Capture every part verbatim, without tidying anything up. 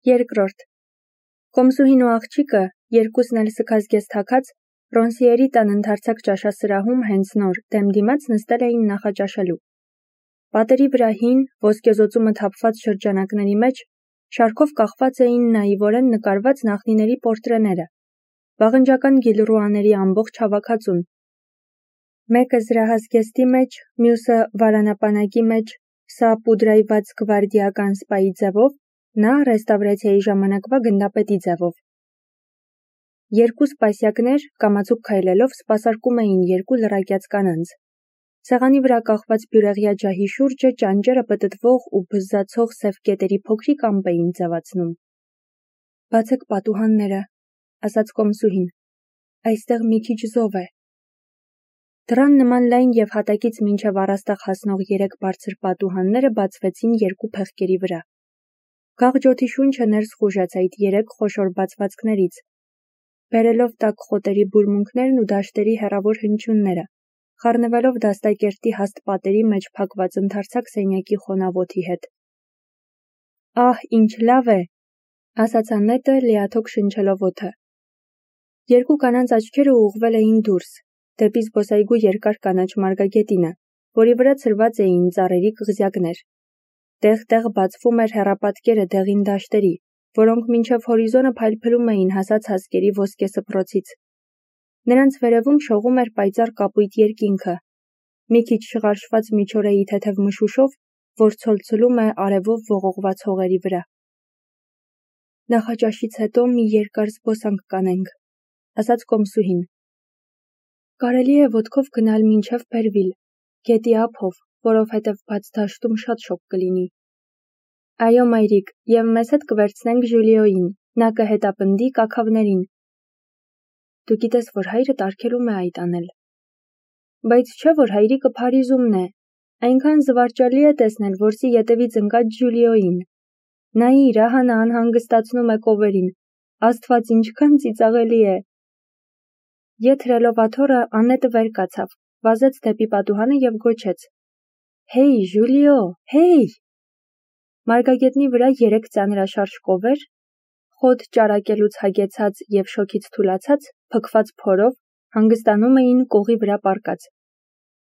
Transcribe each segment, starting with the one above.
Երկրորդ. Կոմսուհին ու աղջիկը, երկուսն էլ սկազգես թաքած, Ռոնսիերի տան ընդարձակ ճաշասրահում հենց նոր դեմ դիմաց նստել էին նախաճաշելու։ Պատերի վրա հին, ոսկեզօծումը թափված շրջանակների մեջ շարքով կախված էին նաիվորեն նկարված նախնիների պորտրեները, վաղնջական գիլռուաների ամբողջ հավաքածուն։ Մեկը զրահազգեստի մեջ, մյուսը վարանապանակի մեջ, սա պուդրայված գվարդիական սպայի ձևով, նա ռեստավրացիայի ժամանակվա գնդապետի ձևով։ Երկու սպասյակներ կամացուկ քայլելով սպասարկում էին երկու լրակյաց կանանց։ Սեղանի վրա կախված բյուրեղյա ջահի շուրջը ճանճերը պտտվող ու բզզացող սև կետերի փոքրիկ ամպ էին ձևացնում։ Բացեք պատուհանները, ասաց կոմսուհին, այստեղ մի քիչ զով է։ Դռան նման լայն և հատակից մինչև առաստաղ հասնող երեք բարձր պատուհանները բացվեցին երկու փեղկերի վրա։ Գաղ ջոթի շունչը ներս խուժեց այդ երեք խոշոր բացվածքներից, բերելով տաք խոտերի բուրմունքներն ու դաշտերի հեռավոր հնչյունները, խառնվելով դաստակերտի հաստ պատերի մեջ փակված ընդարձակ սենյակի խոնավ օդի հետ։ Ահ, ինչ լավ է, ասաց Աննետը լիաթոք շնչելով օդը։ Երկու կանանց աչքերը ուղղվել էին դուրս, դեպի զբոսայգու երկար կանաչ մարգագետինը, որի վրա ցրված էին ծառերի կղզյակներ։ Տեղ-տեղ բացվում էր հեռապատկերը դեղին դաշտերի, որոնք մինչև հորիզոնը փայլփլում էին հասած հասկերի ոսկե սփռոցից։ Նրանց վերևում շողում էր պայծառ կապույտ երկինքը, մի քիչ շղարշված միջօրեի թեթև մշուշով, որ ցոլցլում է արևով ողողված հողերի վրա։ Նախաճաշից հետո մի երկար զբոսանք կանենք, ասաց կոմսուհին։ Կարելի է ոտքով գնալ մինչև Բերվիլ, գետի ափով, որովհետև բաց դաշտում շատ շոգ կլինի։ Այո, մայրիկ, և մեզ հետ կվերցնենք Ժուլիոյին, նա կհետապնդի կաքավներին։ Դու գիտես, որ հայրդ արգելում է այդ անել։ Բայց չէ, որ հայրիկը Փարիզումն է, այնքան զվարճալի է տեսնել որսի ետևից ընկած Ժուլիոյին։ Նայիր, ահա նա անհանգստացնում է կովերին, Աստված ինչքան ծիծաղելի է։ Եթրելով աթոռը Աննետը վեր կացավ, վազեց դեպի պատուհանը և գոչեց. Հեյ, Ժուլիո, հեյ։ Մարգագետնի վրա երեք ծանրաշարժ կովեր, խոտ ճարակելուց հագեցած և շոգից թուլացած, փքված փորով, հանգստանում էին կողի վրա պառկած։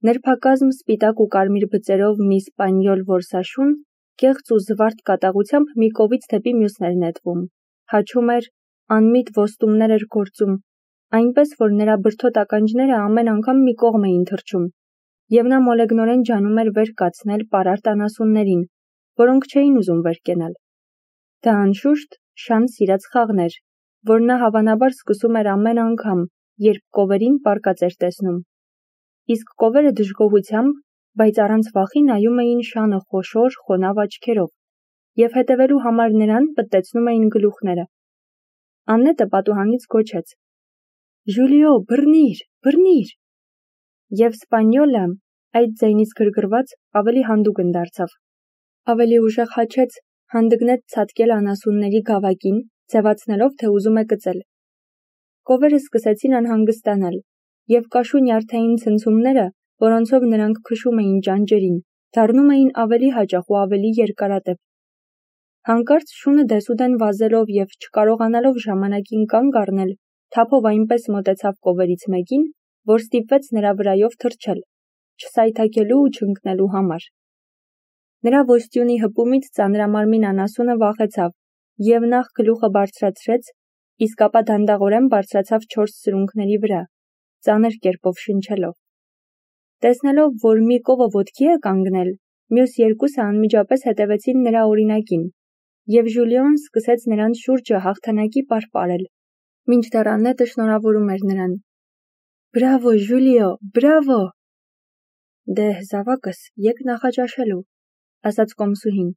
Նրբակազմ սպիտակ ու կարմիր բծերով մի սպանյոլ որսաշուն, կեղծ ու զվարթ կատաղությամբ մի կովից դեպի մյուսն էր նետվում, հաչում էր, անմիտ ոստումներ էր գործում, այնպես, որ նրա բրդոտ ականջները ամեն անգամ մի կողմ էին թռչում, և նա մոլեգնորեն ջանում էր վեր կացնել պարարտ անասուններին, որոնք չէին ուզում վեր կենալ։ Դա անշուշտ շան սիրած խաղն էր, որ նա հավանաբար սկսում էր ամեն անգամ, երբ կովերին պառկած էր տեսնում։ Իսկ կովերը դժգոհությամբ, բայց առանց վախի նայում էին շանը խոշոր, խոնավ աչքերով, և հետևելու համար նրան պտտեցնում էին գլուխները։ Աննետը պատուհանից գոչեց. Ժուլիո, բռնիր, բռնիր։ Եվ սպանյոլը, այդ ձայնից գրգռված, ավելի հանդուգն դարձավ։ Ավելի ուժեղ հաչեց, հանդգնեց ցատկել անասունների գավակին, ձևացնելով, թե ուզում է կծել։ Կովերը սկսեցին անհանգստանալ, և կաշու նյարդային ցնցումները, որոնցով նրանք քշում էին ճանճերին, դառնում էին ավելի հաճախ ու ավելի երկարատև։ Հանկարծ շունը դեսուդեն վազելով և չկարողանալով ժամանակին կանգ առնել, թափով այնպես մոտեցավ կովերից մեկին, որ ստիպվեց նրա վրայով թռչել, չսայթաքելու ու չընկնելու համար։ Նրա ոստյունի հպումից ծանրամարմին անասունը վախեցավ և նախ գլուխը բարձրացրեց, իսկ ապա դանդաղորեն բարձրացավ չորս սրունքների վրա, ծանր կերպով շնչելով։ Տեսնելով, որ մի կովը ոտքի է կանգնել, մյուս երկուսը անմիջապես հետևեցին նրա օրինակին, և Ժուլիոն սկսեց նրանց շուրջը հաղթանակի պարպարել, մինչդեռ Աննետը շնորհավորում էր նրան։ Բրավո, Ժուլիո, բրավո։ Դե, զավակս, եկ նախաճաշելու, ասաց կոմսուհին,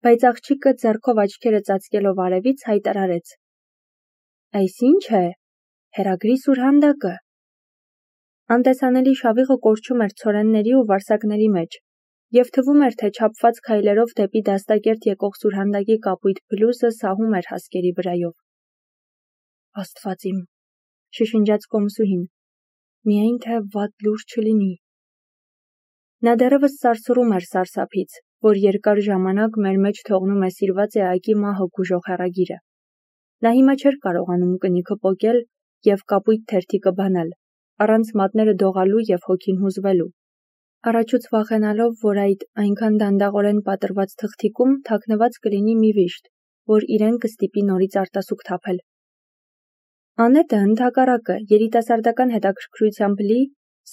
բայց աղջիկը ձեռքով աչքերը ծածկելով արևից հայտարարեց. Այս ի՞նչ է, հեռագրի սուրհանդակը։ Անտեսանելի շավիղը կորչում էր ցորենների ու վարսակների մեջ, և թվում էր, թե չափված քայլերով դեպի դաստակերտ եկող սուրհանդակի կապույտ բլուզը սահում էր հասկերի վրայով։ Աստված իմ, շշնջաց կոմսուհին, միայն թե վատ լուր չլինի։ Նա դեռևս սարսռում էր սարսափից, որ երկար ժամանակ մեր մեջ թողնում է սիրված էակի մահը գուժող հեռագիրը։ Նա հիմա չէր կարողանում կնիքը պոկել և կապույտ թերթիկը բանալ, առանց մատները դողալու և հոգին հուզվելու։ Առաջուց վախենալով, որ այդ այնքան դանդաղորեն պատրված թղթիկում թաքնված կլինի մի վիշտ, որ իրեն կստիպի նորից արտասուք թափել։ Անետը ընդհակառակը երիտասարդական հետաքրքրությամբ լի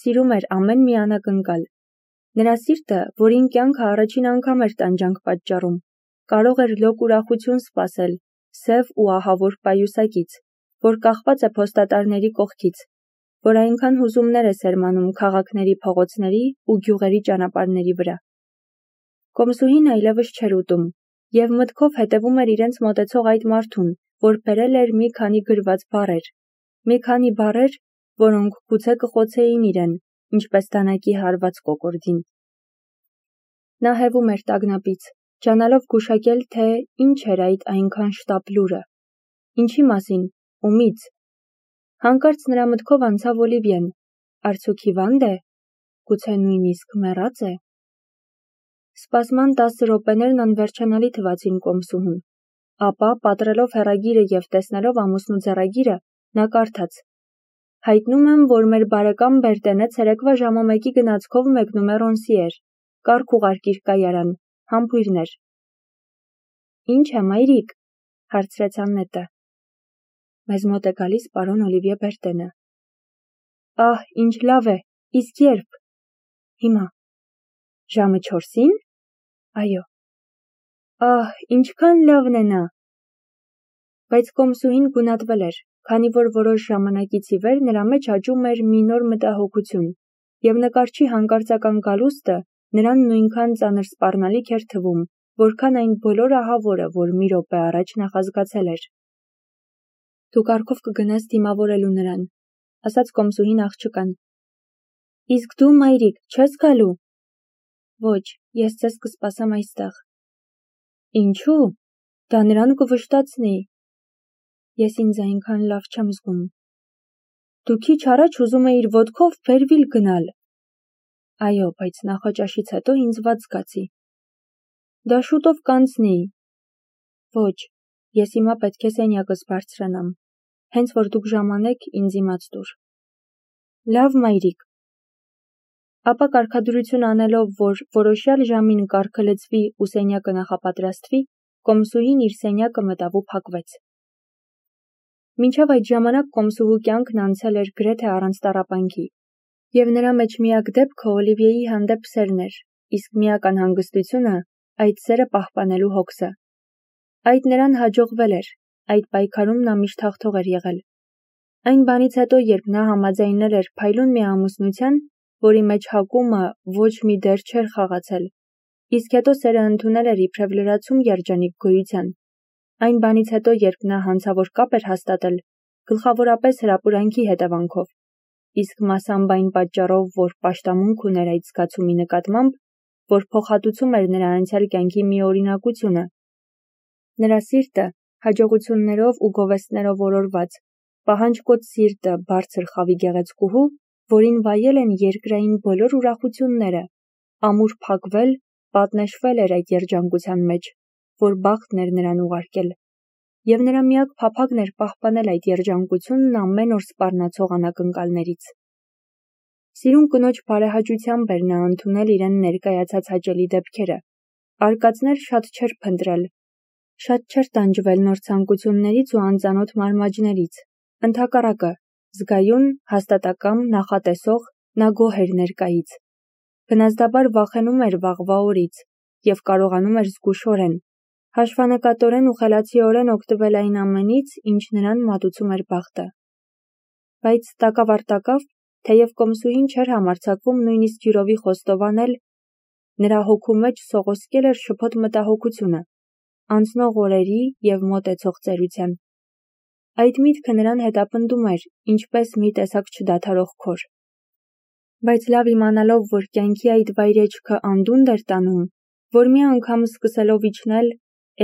սիրում էր ամեն մի անակնկալ։ Նրա սիրտը, որին կյանքը առաջին անգամ էր տանջանք պատճառում, կարող էր լոկ ուրախություն սպասել սև ու ահավոր պայուսակից, որ կախված է փոստատարների կողքից, որ այնքան հուզումներ է սերմանում քաղաքների փողոցների ու գյուղերի ճանապարհների վրա։ Կոմսուհին այլևս չէր ուտում և մտքով հետևում էր իրենց մոտեցող այդ մարդուն, որ բերել էր մի քանի գրված բառեր, մի քանի բառեր, որոնք գուցե կխոցեին իրեն, ինչպես դանակի հարված կոկորդին։ Նա հևում էր տագնապից, ջանալով գուշակել, թե ինչ էր այդ այնքան շտապ լուրը, ինչի մասին, ումից։ Հանկարծ նրա մտքով անցավ Օլիվիեն, արդյոք հիվա՞նդ է, գուցե նույնիսկ մեռած է։ Սպասման տասը րոպեներն անվերջանալի թվացին Կոմսուհուն, ապա, պատռելով հեռագիրը և տեսնելով ամուսնու ձեռագիրը, նա կարդաց. «Հայտնում եմ, որ մեր բարեկամ Բերտենը ցերեկվա ժամը մեկի գնացքով մեկնում է Ռոնսիեր, կարգ ուղարկիր կայարան, համբույրներ»։ «Ինչ է, մայրիկ», հարցրեց Աննետը։ «Մեզ մոտ է գալիս պարոն Օլիվիե Բերտենը»։ «Ահ, ինչ լավ է, իսկ ե՞րբ»։ «Հիմա»։ «Ժամը չորսի՞ն»։ «Այո»։ «Ահ, ինչքան լավն է նա»։ Բայց Կոմսուհին գունատվել էր, քանի որ որոշ ժամանակից ի վեր նրա մեջ աճում էր մի նոր մտահոգություն, և նկարչի հանկարծական գալուստը նրան նույնքան ծանր սպառնալիք էր թվում, որքան այն բոլոր ահավորը, որ մի րոպե առաջ նախազգացել էր։ «Դու կարգով կգնաս դիմավորելու նրան», ասաց Կոմսուհին աղջկան։ «Իսկ դու, մայրիկ, չե՞ս գալու»։ «Ոչ, ես ձեզ կսպասեմ այստեղ»։ «Ինչու՞։ Դա նրան կվշտացնի»։ «Ես ինձ այնքան լավ չեմ զգում»։ «Դու քիչ առաջ ուզում էիր ոտքով Ֆերվիլ գնալ»։ «Այո, բայց նախաճաշից հետո ինձ վատ զգացի»։ «Դա շուտով կանցնի»։ «Ոչ, ես հիմա պետք է սենյակս բարձրանամ, հենց որ դուք ժամանեք, ինձ իմաց տուր»։ «Լավ, մայրիկ»։ Ապա կարգադրություն անելով, որ որոշյալ ժամին կարգը լծվի ու սենյակը նախապատրաստվի, Կոմսուհին իր սենյակը մտավ ու փակվեց։ Մինչև այդ ժամանակ Կոմսուհու կյանքն անցել էր գրեթե առանց տառապանքի, և նրա մեջ միակ դեպքը Օլիվիեի հանդեպ սերն էր, իսկ միակ անհանգստությունը այդ սերը պահպանելու հոգսը։ Այդ նրան հաջողվել էր, այդ պայքարում նա միշտ հաղթող էր եղել։ Այն բանից հետո, երբ նա համաձայնել էր փայլուն մի ամուսնության, որի մեջ հակումը ոչ մի դեր չէր խաղացել, իսկ հետո սերը ընդունել էր իբրև լրացում երջանիկ գոյության։ Այն բանից հետո, երբ նա հանցավոր կապ էր հաստատել, գլխավորապես հրապուրանքի հետևանքով, իսկ մասամբ այն պատճառով, որ պաշտամունք ուներ այդ զգացումի նկատմամբ, որ փոխհատուցում էր նրա անցյալ կյանքի միօրինակությունը, նրա սիրտը, հաջողություններով ու գովեստներով օրորված, պահանջկոտ սիրտը բարձր խավի գեղեցկուհու, որին վայել են երկրային բոլոր ուրախությունները, ամուր փակվել, պատնեշվել էր այդ երջանկության մեջ, որ բախտն էր նրան ուղարկել, և նրա միակ փափագն էր պահպանել այդ երջանկությունն ամեն օր սպառնացող անակնկալներից։ Սիրուն կնոջ բարեհաճությամբ էր նա ընդունել իրեն ներկայացած հաճելի դեպքերը, արկածներ շատ չէր փնտրել, շատ չէր տանջվել նոր ցանկություններից ու անծանոթ մարմաջներից, ընդհակառակը, զգայուն, հաստատակամ, նախատեսող, նա գոհ էր ներկայից։ Բնազդաբար վախենում էր վաղվա օրից և կարողանում էր զգուշորեն, հաշվանկատորեն ու խելացիորեն օգտվել այն ամենից, ինչ նրան մատուցում էր բախտը։ Բայց տակավարտակավ, թեև Կոմսուհին չէր համարձակվում նույնիսկ ջուրովի խոստովանել, նրա հոգու մեջ սողոսկել էր շփոթ մտահոգությունը, անցնող օրերի և մոտեցող ծերության։ Այդ միտքը նրան հետապնդում էր, ինչպես մի տեսակ չդադարող քոր։ Բայց լավ իմանալով, որ կյանքի այդ վայրեջքը անդունդ էր տանում, որ մի անգամ սկսելով իջնել,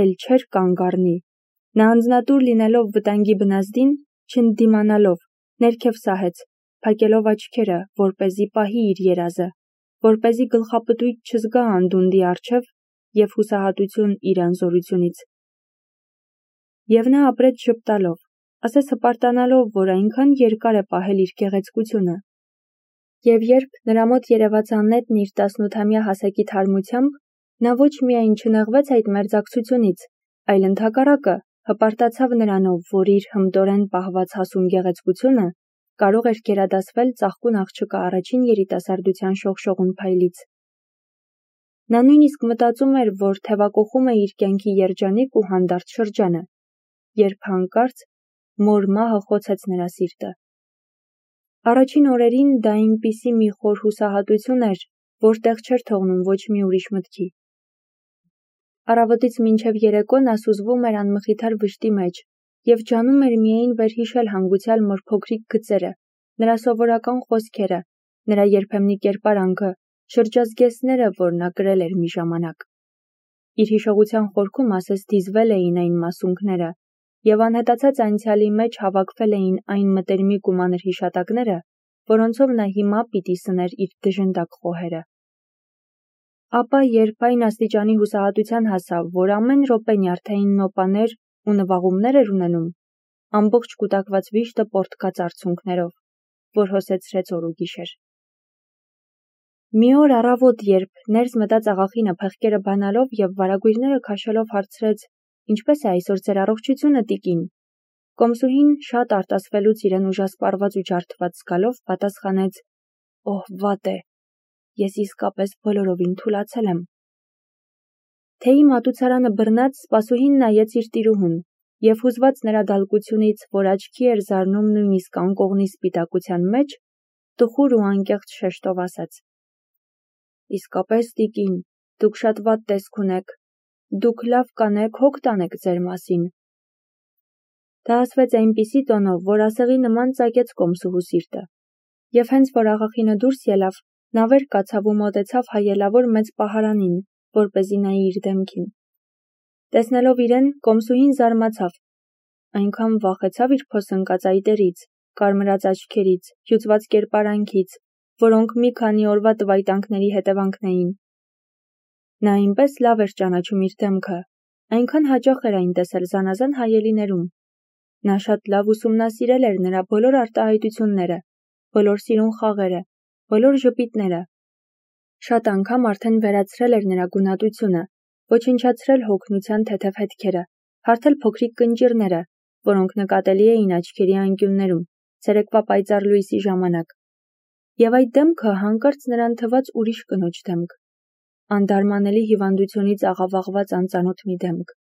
էլ չէր կանգ առնի, նա անձնատուր լինելով վտանգի բնազդին, չընդդիմանալով, ներքև սահեց, փակելով աչքերը, որպեսզի պահի իր երազը, որպեսզի գլխապտույտ չզգա անդունդի առջև, և հուսահատություն իր անզորությունից։ Եվ նա ապրեց ժպտալով, ասես հպարտանալով, որ այնքան երկար է պահել իր գեղեցկությունը։ Եվ երբ նրա մոտ երևաց Աննետն իր տասնութամյա հասակի թարմությամբ, նա ոչ միայն չնեղվեց այդ մերձակցությունից, այլ ընդհակառակը հպարտացավ նրանով, որ իր հմտորեն պահված հասուն գեղեցկությունը կարող էր գերադասվել ծաղկուն աղջկա առաջին երիտասարդության շողշողուն փայլից։ Նա նույնիսկ մտածում էր, որ թևակոխում է իր կյանքի երջանիկ ու հանդարտ շրջանը, երբ հանկարծ մոր մահը խոցեց նրա սիրտը։ Առաջին օրերին դա այնպիսի մի խոր հուսահատություն էր, որ տեղ չէր թողնում ոչ մի ուրիշ մտքի։ Առավոտից մինչև երեկո նա սուզվում էր անմխիթար վշտի մեջ և ջանում էր միայն վերհիշել հանգուցյալ մոր փոքրիկ գծերը, նրա սովորական խոսքերը, նրա երբեմնի կերպարանքը, շրջազգեստները, որ նա կրել էր մի ժամանակ։ Իր հիշողության խորքում ասես դիզվել էին այն մասունքները, և անհետացած անցյալի մեջ հավաքվել էին այն մտերմիկ ու մանր հիշատակները, որոնցով նա հիմա պիտի սներ իր դժնդակ խոհերը։ Ապա երբ այն աստիճանի հուսահատության հասավ, որ ամեն րոպե նյարդային նոպաներ ու նվաղումներ էր ունենում, ամբողջ կուտակված վիշտը պոռթկաց արցունքներով, որ հոսեցրեց օր ու գիշեր։ Մի օր առավոտ, երբ ներս մտած աղախինը փեղկերը բանալով և վարագույրները քաշելով հարցրեց. «Ինչպե՞ս է այսօր ձեր առողջությունը, տիկին», կոմսուհին շատ արտասվելուց իրեն ուժասպառված ու ջարդված զգալով պատասխանեց. «Օհ, վատ է, ես իսկապես բոլորովին թուլացել եմ»։ Թեյի մատուցարանը բռնած սպասուհին նայեց իր տիրուհուն և հուզված նրա դալկությունից, որ աչքի էր զարնում նույնիսկ անկողնի սպիտակության մեջ, տխուր ու անկեղծ շեշտով ասաց. «Իսկապես, տիկին, դուք շատ վատ տեսք ունեք, դուք լավ կանեք հոգ տանեք ձեր մասին»։ Դա ասվեց այնպիսի տոնով, որ ասեղի նման ծակեց կոմսուհու սիրտը, և հենց որ աղախինը դուրս ելավ, նա վեր կացավ ու մոտեցավ հայելավոր մեծ պահարանին, որպեսզի նայի իր դեմքին։ Տեսնելով իրեն, կոմսուհին զարմացավ, այնքան վախեցավ իր փոսընկած այտերից, կարմրած աչքերից, հյուծված կերպարանքից, որոնք մի քանի օրվա տվայտանքների հետևանքն էին։ Նա այնպես լավ էր ճանաչում իր դեմքը, այնքան հաճախ էր այն տեսել զանազան հայելիներում։ Նա շատ լավ ուսումնասիրել էր նրա բոլոր արտահայտությունները, բոլոր սիրուն խաղերը, բոլոր ժպիտները։ Շատ անգամ արդեն վերացրել էր նրա գունատությունը, ոչնչացրել հոգնության թեթև հետքերը, հարթել փոքրիկ կնճիռները, որոնք նկատելի էին աչքերի անկյուններում, ցերեկվա պայծառ լույսի ժամանակ։ Եվ այդ դեմքը հանկարծ նրան թվաց ուրիշ կնոջ դեմք, անդարմանելի հիվանդությունից աղավաղված անծանոթ մի դեմք։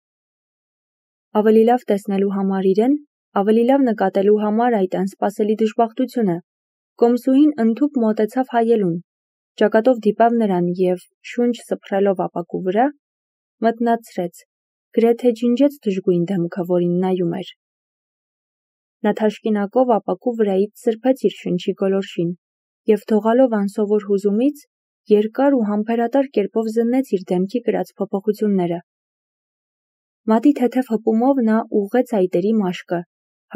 Ավելի լավ տեսնելու համար իրեն, ավելի լավ նկատելու համար այդ անսպասելի դժբախտությունը, կոմսուհին ընդհուպ մոտեցավ հայելուն, ճակատով դիպավ նրան և, շունչ սփռելով ապակու վրա, մատնացրեց, գրեթե ջնջեց դժգույն դեմքը, որին նայում էր։ Նա թաշկինակով ապակու վրայից սրբեց իր շնչի գոլորշին և թողալով անսովոր հուզումից, երկար ու համբերատար կերպով զննեց իր դեմքի կրած փոփոխությունները։ Մատի թեթև հպումով նա ուղղեց այտերի մաշկը,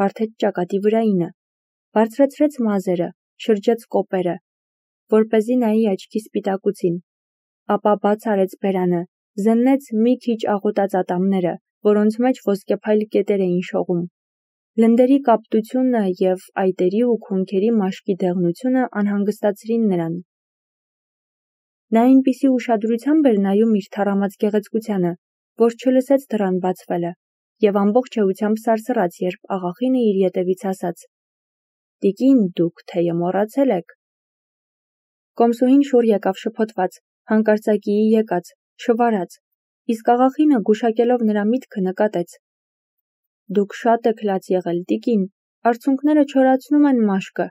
հարթեց ճակատի վրայինը, բարձրացրեց մազերը, շրջեց կոպերը, որպեսզի նայի աչքի սպիտակուցին, ապա բաց արեց բերանը, զննեց մի քիչ աղոտած ատամները, որոնց մեջ ոսկեփայլ կետեր էին շողում։ Լնդերի կապտությունը և այտերի ու քունքերի մաշկի դեղնությունը անհանգստացրին նրան։ Նա այնպիսի ուշադրությամբ էր նայում իր թառամած գեղեցկությանը, որ չլսեց դռան բացվելը և ամբողջ էությամբ սարսռաց, երբ աղախինը իր ետևից ասաց. «Տիկին, դուք թեյը մոռացել եք»։ Կոմսուհին շուռ եկավ շփոթված, հանկարծակիի եկած, շվարած, իսկ աղախինը գուշակելով նրա միտքը նկատեց. «Դուք շատ եք լաց եղել, տիկին, արցունքները չորացնում են մաշկը,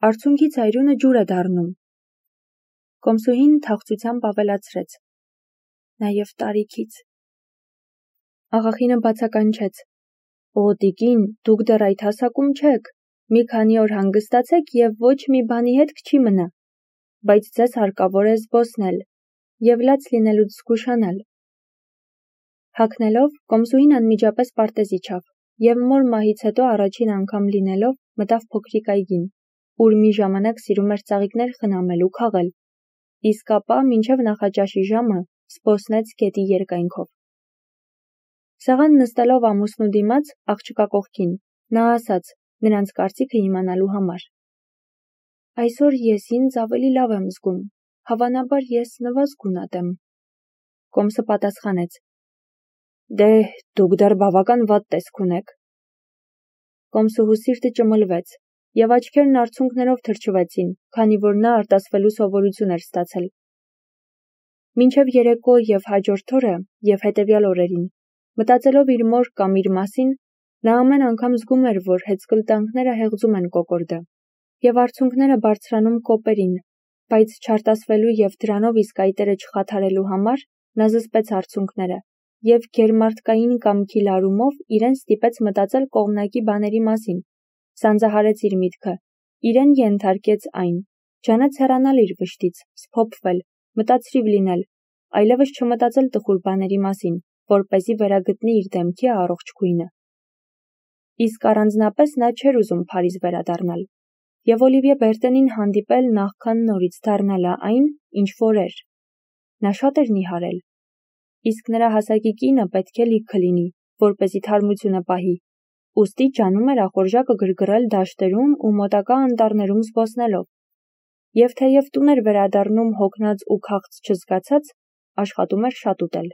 արցունքի ցայրունը ջուր է դառնում»։ Կոմսուհին թախծությամբ ավելացրեց. «Նաև տարիքից»։ Աղախինը բացականչեց. «Օ, տիկին, դուք դեռ այդ հասակում չեք, մի քանի օր հանգստացեք և ոչ մի բանի հետք չի մնա, բայց ձեզ հարկավոր է զբոսնել և լաց լինելուց զգուշանալ»։ Հագնելով, կոմսուհին անմիջապես պարտեզ իջավ և մոր մահից հետո առաջին անգամ լինելով մտավ փոքրիկ այգին, ուր մի ժամանակ սիրում էր ծաղիկներ խնամել ու քաղել, իսկ ապա մինչև նախաճաշի ժամը սփոսնեց գետի երկայնքով։ Սեղան նստելով ամուսնու դիմաց աղջկա կողքին, նա ասաց, նրանց կարծիքը իմանալու համար. Այսօր ես ինձ ավելի լավ եմ զգում, հավանաբար ես նվազ գունատ եմ։ Կոմսը պատասխանեց. Դե, դուք դեռ բավական վատ տեսք ունեք։ Կոմսուհու սիրտը ճմլվեց, եւ աչքերն արցունքներով թրջվեցին, քանի որ նա արտասվելու սովորություն էր ստացել։ Մինչև երեկո եւ հաջորդ օրը եւ հետեւյալ օրերին, մտածելով իր մոր կամ իր մասին, նա ամեն անգամ զգում էր, որ հեծկլտանքները հեղձում են կոկորդը, եւ արցունքները բարձրանում կոպերին, բայց չարտասվելու եւ դրանով իսկ այտերը չխաթարելու համար նա զսպեց արցունքները եւ գերմարդկային կամքի լարումով իրեն ստիպեց մտածել կողմնակի բաների մասին, սանձահարեց իր միտքը, իրեն ենթարկեց այն, ջանեց հեռանալ իր վշտից, սփոփվել, մտածրիվ լինել, այլևս չմտածել տխուր բաների մասին, որպեսզի վերագտնի իր դեմքի առողջ գույնը։ Իսկ առանձնապես նա չէր ուզում Փարիզ վերադառնալ, եւ Օլիվիե Բերտենին հանդիպել նախքան նորից դառնալը այն, ինչ որ էր։ Նա շատ էր նիհարել, իսկ նրա հասակի կինը պետք է լիքը լինի, որպեսզի թարմությունը պահի, ուստի ջանում էր ախորժակը գրգռել դաշտերում ու մոտակա անտառներում զբոսնելով, եւ թեև տուն էր վերադառնում հոգնած ու քաղց չզգացած, աշխատում էր շատ ուտել։